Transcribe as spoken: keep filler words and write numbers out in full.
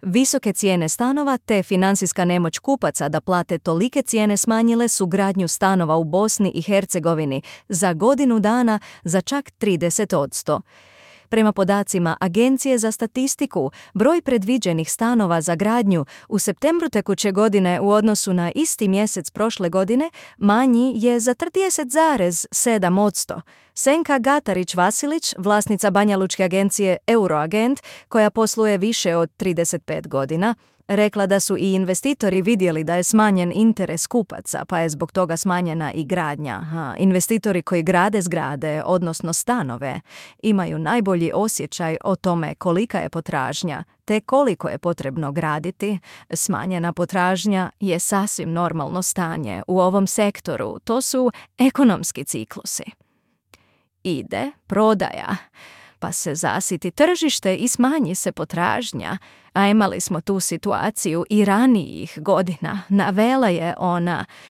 Visoke cijene stanova te financijska nemoć kupaca da plate tolike cijene smanjile su gradnju stanova u Bosni i Hercegovini za godinu dana za čak trideset posto. Prema podacima Agencije za statistiku, broj predviđenih stanova za gradnju u septembru tekuće godine u odnosu na isti mjesec prošle godine manji je za trideset zarez sedam posto. Senka Gatarić-Vasilić, vlasnica banjalučke agencije Euroagent, koja posluje više od trideset pet godina, rekla da su i investitori vidjeli da je smanjen interes kupaca, pa je zbog toga smanjena i gradnja. Ha, investitori koji grade zgrade, odnosno stanove, imaju najbolji osjećaj o tome kolika je potražnja, te koliko je potrebno graditi. Smanjena potražnja je sasvim normalno stanje u ovom sektoru. To su ekonomski ciklusi. Ide prodaja, pa se zasiti tržište i smanji se potražnja. A imali smo tu situaciju i ranijih godina. Navela je ona,